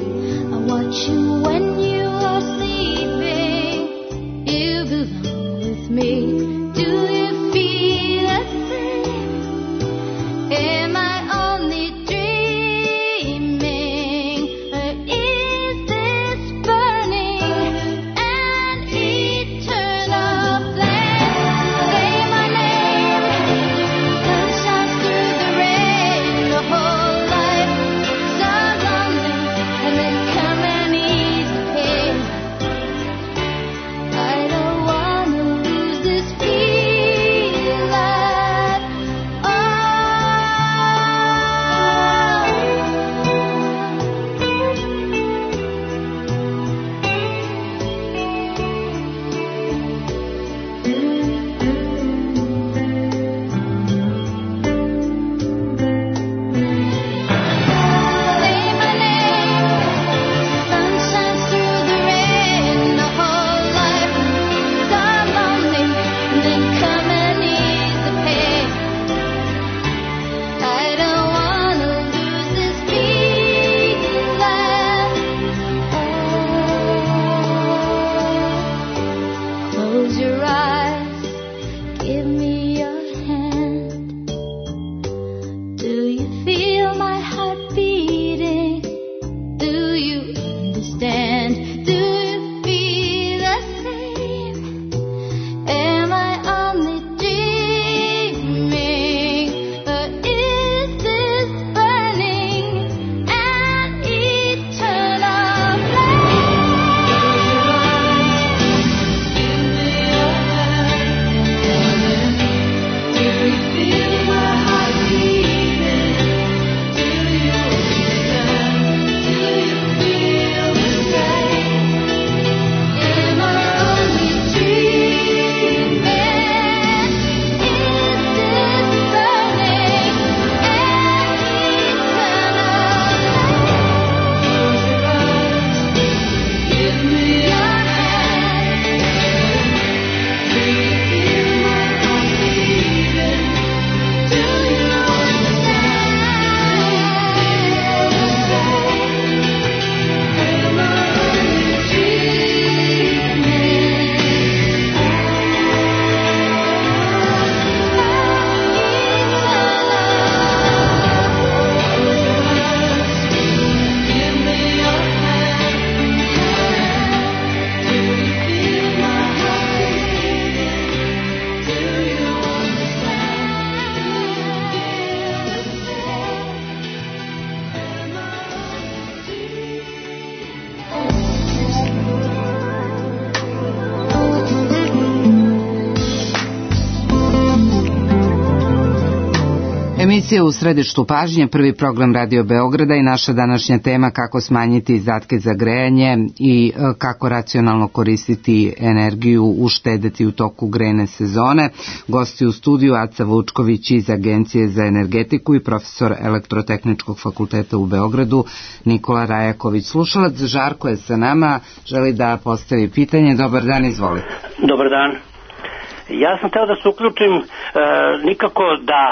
Emisija U središtu pažnje, prvi program Radio Beograda i naša današnja tema kako smanjiti izdatke za grejanje i kako racionalno koristiti energiju, uštedeti u toku grejne sezone. Gosti u studiju Aca Vučković iz Agencije za energetiku i profesor Elektrotehničkog fakulteta u Beogradu Nikola Rajaković. Slušalac Žarko je sa nama, želi da postavi pitanje. Dobar dan, izvolite. Dobar dan. Ja sam hteo da se uključim, nikako da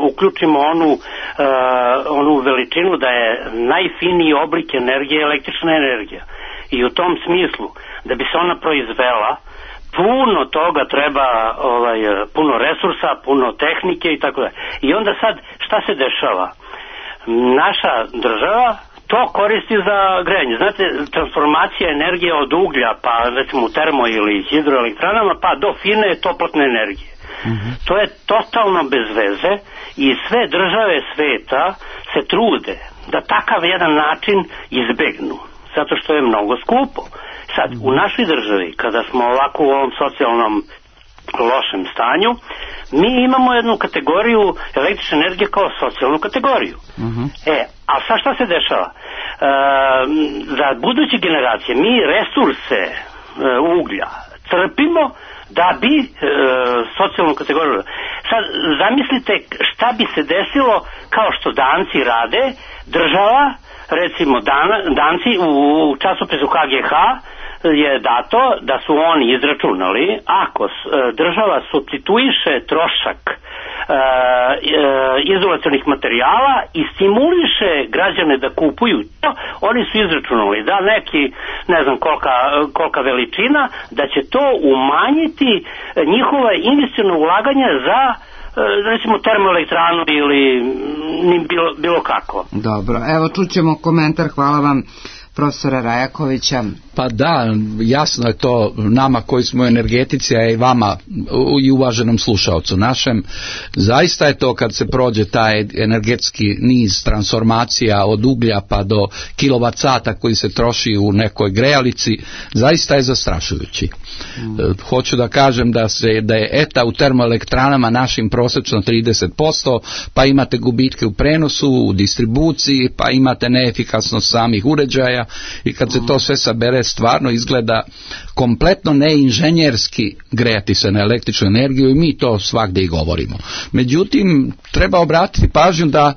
uključimo onu veličinu da je najfiniji oblik energije električna energija. I u tom smislu, da bi se ona proizvela, puno toga treba, puno resursa, puno tehnike i tako da. I onda sad, šta se dešava? Naša država to koristi za grejanje. Znate, transformacija energije od uglja, pa recimo u termo ili hidroelektranama, pa do fine toplotne energije. To je totalno bez veze i sve države sveta se trude da takav jedan način izbegnu, zato što je mnogo skupo. Sad, u našoj državi, kada smo ovako u ovom socijalnom lošem stanju, mi imamo jednu kategoriju električne energije kao socijalnu kategoriju. A sad šta se dešava? Za buduće generacije mi resurse uglja crpimo da bi socijalnu kategoriju. Sad zamislite šta bi se desilo kao što Danci rade, država, recimo Danci u časopisu KGH je dato da su oni izračunali ako država supstituiše trošak izolacionih materijala i stimuliše građane da kupuju to, oni su izračunali da neki, ne znam kolika veličina, da će to umanjiti njihova investiciona ulaganja za recimo termoelektranu ili bilo kako. Dobro, evo čućemo komentar, hvala vam profesora Rajakovića. Pa da, jasno je to nama koji smo u energetici, a i vama i uvaženom slušalcu našem. Zaista je to kad se prođe taj energetski niz transformacija od uglja pa do kilovat sata koji se troši u nekoj grejalici, zaista je zastrašujući. Hoću da kažem da je ETA u termoelektranama našim prosečno 30%, pa imate gubitke u prenosu, u distribuciji, pa imate neefikasnost samih uređaja i kad se to sve sabere stvarno izgleda kompletno neinženjerski grejati se na električnu energiju i mi to svagdje i govorimo. Međutim, treba obratiti pažnju da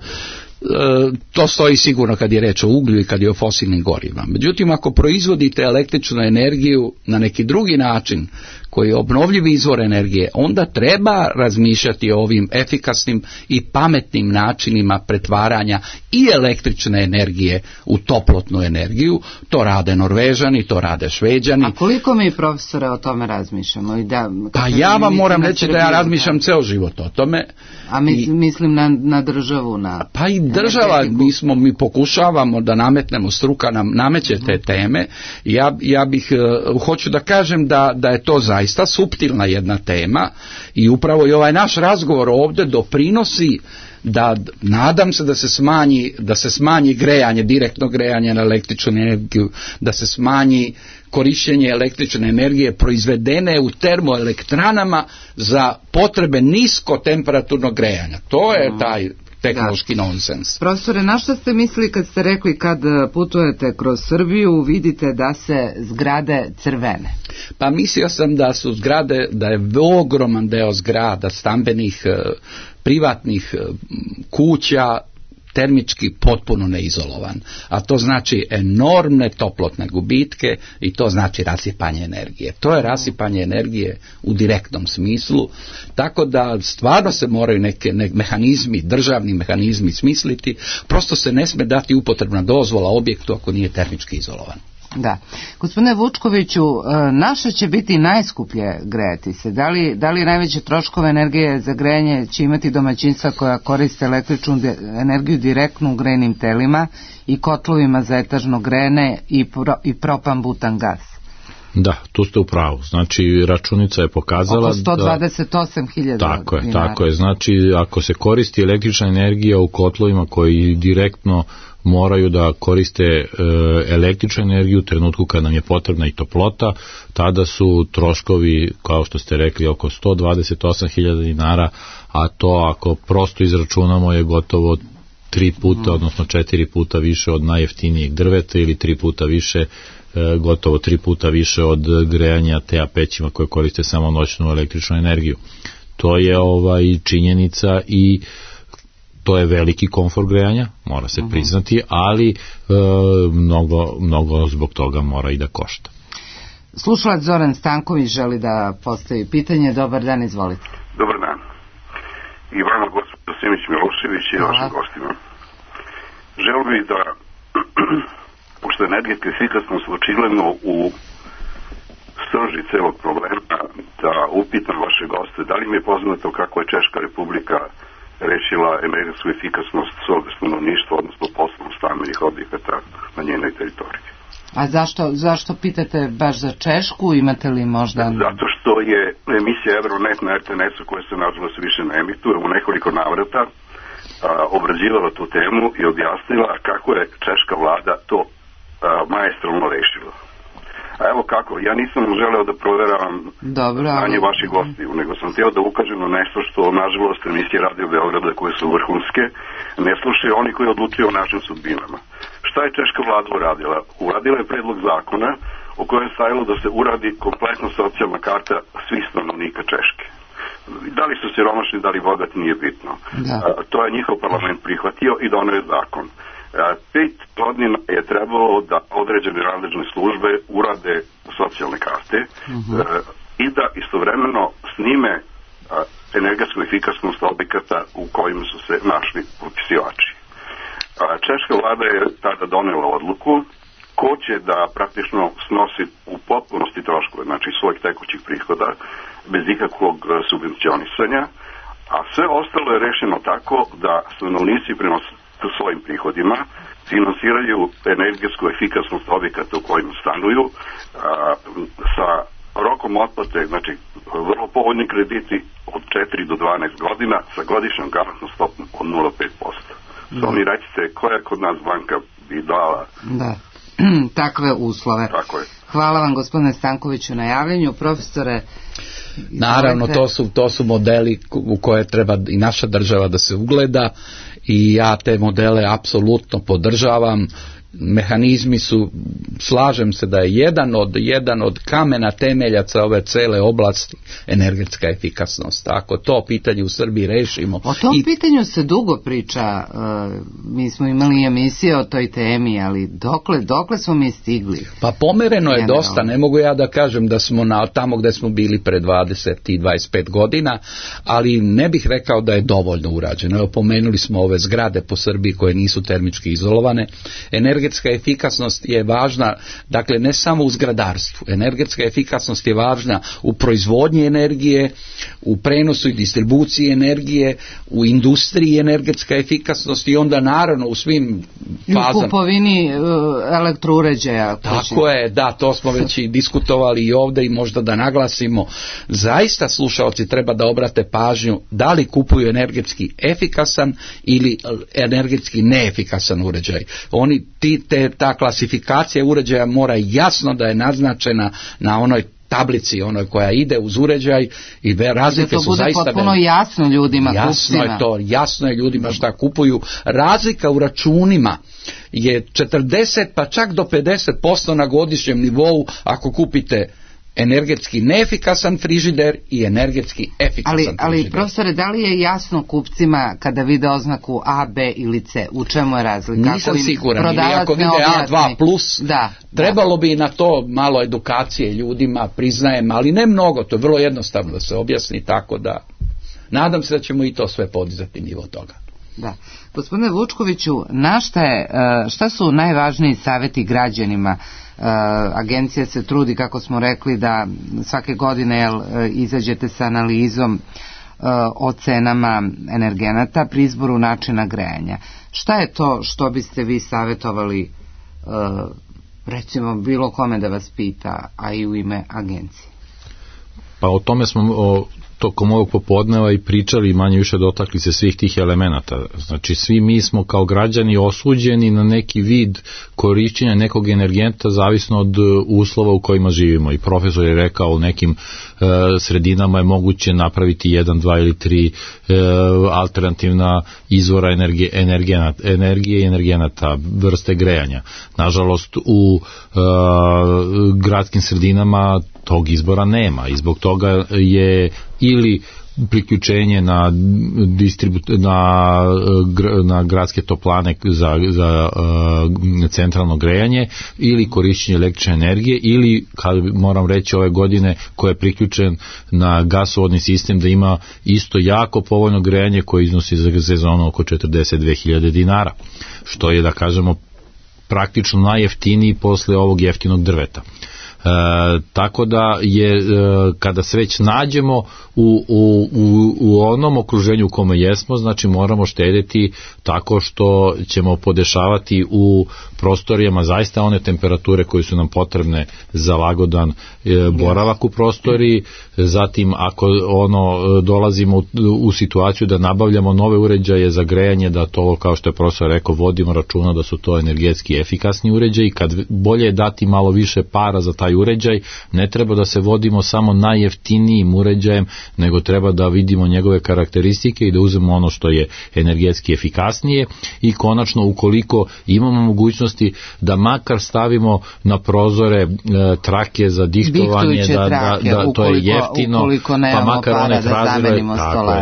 to stoji sigurno kad je reč o uglju i kad je o fosilnim gorivima. Međutim, ako proizvodite električnu energiju na neki drugi način koji je obnovljivi izvor energije, onda treba razmišljati o ovim efikasnim i pametnim načinima pretvaranja i električne energije u toplotnu energiju. To rade Norvežani, to rade Šveđani. A koliko mi, profesore, o tome razmišljamo? Pa ja vam moram reći da ja razmišljam ceo život o tome. A mislim na državu, pa i država, mi pokušavamo da nametnemo, struka nam nameće te teme. Ja bih, hoću da kažem da je to zaista suptilna jedna tema i upravo i ovaj naš razgovor ovdje doprinosi da, nadam se da se smanji grejanje, direktno grejanje na električnu energiju, da se smanji korištenje električne energije proizvedene u termoelektranama za potrebe niskotemperaturnog grejanja. To je taj tehnološki nonsens. Profesore, na što ste mislili kad ste rekli kad putujete kroz Srbiju vidite da se zgrade crvene? Pa mislio sam da su zgrade, da je ogroman deo zgrada, stambenih, privatnih kuća termički potpuno neizolovan, a to znači enormne toplotne gubitke i to znači rasipanje energije. To je rasipanje energije u direktnom smislu, tako da stvarno se moraju neki mehanizmi, državni mehanizmi smisliti, prosto se ne sme dati upotrebna dozvola objektu ako nije termički izolovan. Da. Gospodine Vučkoviću, naše će biti najskuplje grejati se. Da li najveće troškove energije za grejanje će imati domaćinstva koja koriste električnu energiju direktno u grejnim telima i kotlovima za etažno grejanje i propan butan gas? Da, tu ste u pravu. Znači, računica je pokazala oko 128.000 Tako je. Znači, ako se koristi električna energija u kotlovima koji direktno moraju da koriste električnu energiju u trenutku kad nam je potrebna i toplota, tada su troškovi, kao što ste rekli, oko 128.000 dinara, a to ako prosto izračunamo je gotovo 3 puta, odnosno 4 puta više od najjeftinijeg drveta ili 3 puta više, gotovo 3 puta više od grejanja TA pećima koje koriste samo noćnu električnu energiju. To je činjenica i to je veliki komfor grejanja, mora se priznati, ali mnogo zbog toga mora i da košta. Slušalac Zoran Stanković želi da postavi pitanje. Dobar dan, izvolite. Dobar dan. I vama, gospođo Simić Milošević, i vašim gostima. Želio bih da, pošto je energetska efikasnost očigledno u srži celog problema, da upitam vaše goste, da li mi je poznato kako je Češka republika rešila energetsku efikasnost svog stanovništva, odnosno poslovno stambenih objekata na njenoj teritoriji. A zašto pitate baš za Češku? Imate li možda... Zato što je emisija Euronet na RTNS-u, koja se nažalost više ne emituje, u nekoliko navrata obrađivala tu temu i objasnila kako je češka vlada to maestralno rešila. A evo kako, ja nisam želeo da proveravam znanje vaših gostiju, nego sam htio da ukažem na nešto što, nažalost, emisije Radio Beograda, koje su vrhunske, ne slušaju oni koji odlučuju o našim sudbinama. Šta je češka vlada uradila? Uradila je predlog zakona u kojem je stajalo da se uradi kompletna socijalna karta svih stanovnika Češke. Da li su siromašni, da li bogati, nije bitno. To je njihov parlament prihvatio i doneo je zakon. 5 godina je trebalo da određene nadležne službe urade socijalne karte i da istovremeno snime energetsku efikasnost objekata u kojima su se našli popisivači. Češka vlada je tada donela odluku ko će da praktično snosi u potpunosti troškove, znači svojih tekućih prihoda, bez ikakvog subvencionisanja, a sve ostalo je rešeno tako da stanovnici prema svojim prihodima finansiraju energetsku efikasnost objekata u kojima stanuju sa rokom otplate, znači vrlo povoljni krediti od 4 do 12 godina sa godišnjom garantnom stopom od 0,5%. Samo mi recite koja kod nas banka bi dala takve uslove. Tako je. Hvala vam, gospodine Stankoviću, na javljanju. Profesore, naravno, to su modeli u koje treba i naša država da se ugleda i ja te modele apsolutno podržavam. Mehanizmi su, slažem se da je jedan od kamena temeljaca ove cele oblasti energetska efikasnost. Ako to pitanje u Srbiji rešimo... O tom pitanju se dugo priča, mi smo imali emisije o toj temi, ali dokle smo mi stigli? Pa pomereno je dosta, ne mogu ja da kažem da smo tamo gde smo bili pre 20 i 25 godina, ali ne bih rekao da je dovoljno urađeno. Evo, pomenuli smo ove zgrade po Srbiji koje nisu termički izolovane. Energetska efikasnost je važna, dakle ne samo u zgradarstvu. Energetska efikasnost je važna u proizvodnji energije, u prenosu i distribuciji energije, u industriji energetska efikasnost i onda naravno u svim fazama. U kupovini elektrouređaja. Tako je, da, to smo već i diskutovali i ovdje i možda da naglasimo. Zaista slušalci treba da obrate pažnju da li kupuju energetski efikasan ili energetski neefikasan uređaj. Ta klasifikacija uređaja mora jasno da je naznačena na onoj tablici, onoj koja ide uz uređaj i razlike su zaista... Da to bude potpuno jasno ljudima, jasno je ljudima šta kupuju. Razlika u računima je 40 pa čak do 50% na godišnjem nivou ako kupite energetski neefikasan frižider i energetski efikasan frižider. Ali profesore, da li je jasno kupcima kada vide oznaku A, B ili C? U čemu je razlika? Nisam siguran. Ili ako vide A2+, trebalo bi na to malo edukacije ljudima, priznajem, ali ne mnogo, to je vrlo jednostavno da se objasni, tako da nadam se da ćemo i to sve podizati nivo toga. Da. Gospodine Vučkoviću, šta su najvažniji savjeti građanima? Agencija se trudi, kako smo rekli, da svake godine izađete sa analizom o cenama energenata pri izboru načina grejanja. Šta je to što biste vi savjetovali recimo bilo kome da vas pita, a i u ime agencije? Pa o tome smo tokom ovog popodneva i pričali i manje više dotakli se svih tih elemenata. Znači svi mi smo kao građani osuđeni na neki vid korišćenja nekog energenta zavisno od uslova u kojima živimo. I profesor je rekao u nekim sredinama je moguće napraviti 1, 2 ili 3 alternativna izvora energije i energenata, vrste grejanja. Nažalost u gradskim sredinama tog izbora nema i zbog toga je ili priključenje na gradske toplane za centralno grejanje ili korišćenje električne energije ili, kad moram reći ove godine, ko je priključen na gasovodni sistem da ima isto jako povoljno grejanje koje iznosi za sezonu oko 42.000 dinara, što je, da kažemo, praktično najjeftiniji posle ovog jeftinog drveta. Tako da je, kada se već nađemo u onom okruženju u kome jesmo, znači moramo štediti tako što ćemo podešavati u prostorijama zaista one temperature koje su nam potrebne za lagodan boravak u prostoriji. Zatim ako dolazimo u situaciju da nabavljamo nove uređaje za grejanje, da to, kao što je profesor rekao, vodimo računa da su to energetski efikasni uređaji. Kad bolje je dati malo više para za taj uređaj, ne treba da se vodimo samo najjeftinijim uređajem, nego treba da vidimo njegove karakteristike i da uzmemo ono što je energetski efikasnije. I konačno, ukoliko imamo mogućnosti da makar stavimo na prozore trake za dihtovanje, da to je jeftino, pa makar one tražile,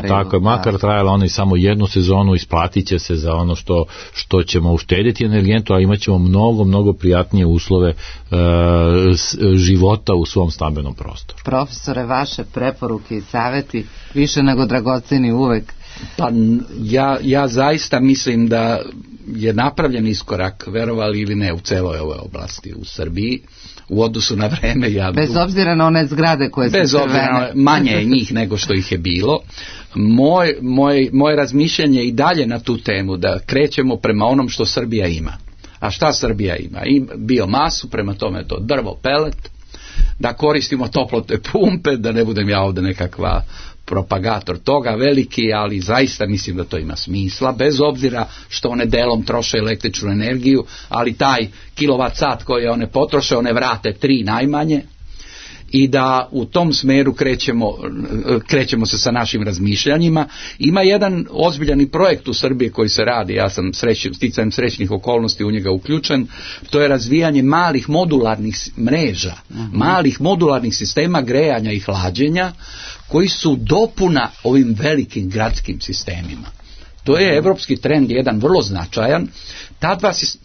tako je, makar trajala one samo jednu sezonu, isplatit će se za ono što ćemo uštediti energentu, a imat ćemo mnogo prijatnije uslove života u svom stambenom prostoru. Profesore, vaše preporuke i saveti više nego dragoceni uvek. Pa ja zaista mislim da je napravljen iskorak, verovali ili ne, u celoj ovoj oblasti u Srbiji u odnosu na vreme. Bez obzira na one zgrade koje su crvene. Bez obzira, manje je njih nego što ih je bilo. Moje razmišljanje i dalje na tu temu da krećemo prema onom što Srbija ima. A šta Srbija ima? Biomasu, prema tome to drvo, pelet, da koristimo toplotne pumpe, da ne budem ja ovdje nekakva propagator toga veliki, ali zaista mislim da to ima smisla, bez obzira što one delom troše električnu energiju, ali taj kilovat sat koji one potroše, one vrate 3 najmanje, i da u tom smeru krećemo se sa našim razmišljanjima. Ima jedan ozbiljan projekt u Srbiji koji se radi, ja sam sticajem srećnih okolnosti u njega uključen, to je razvijanje malih modularnih mreža, malih modularnih sistema grejanja i hlađenja koji su dopuna ovim velikim gradskim sistemima. To je evropski trend, jedan vrlo značajan.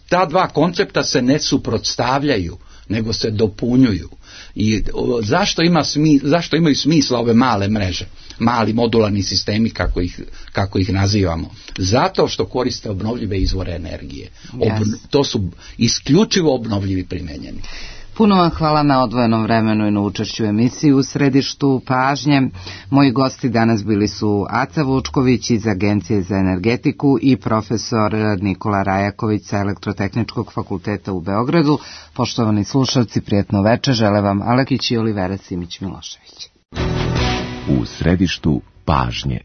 Ta dva koncepta se ne suprotstavljaju, nego se dopunjuju. I zašto imaju smisla ove male mreže, mali modularni sistemi kako ih nazivamo? Zato što koriste obnovljive izvore energije. To su isključivo obnovljivi primenjeni. Puno vam hvala na odvojenom vremenu i na učešću u emisiji U središtu pažnje. Moji gosti danas bili su Aca Vučković iz Agencije za energetiku i profesor Nikola Rajaković sa Elektrotehničkog fakulteta u Beogradu. Poštovani slušalci, prijatno večer, žele vam Alekić i Olivera Simić-Milošević. U središtu pažnje.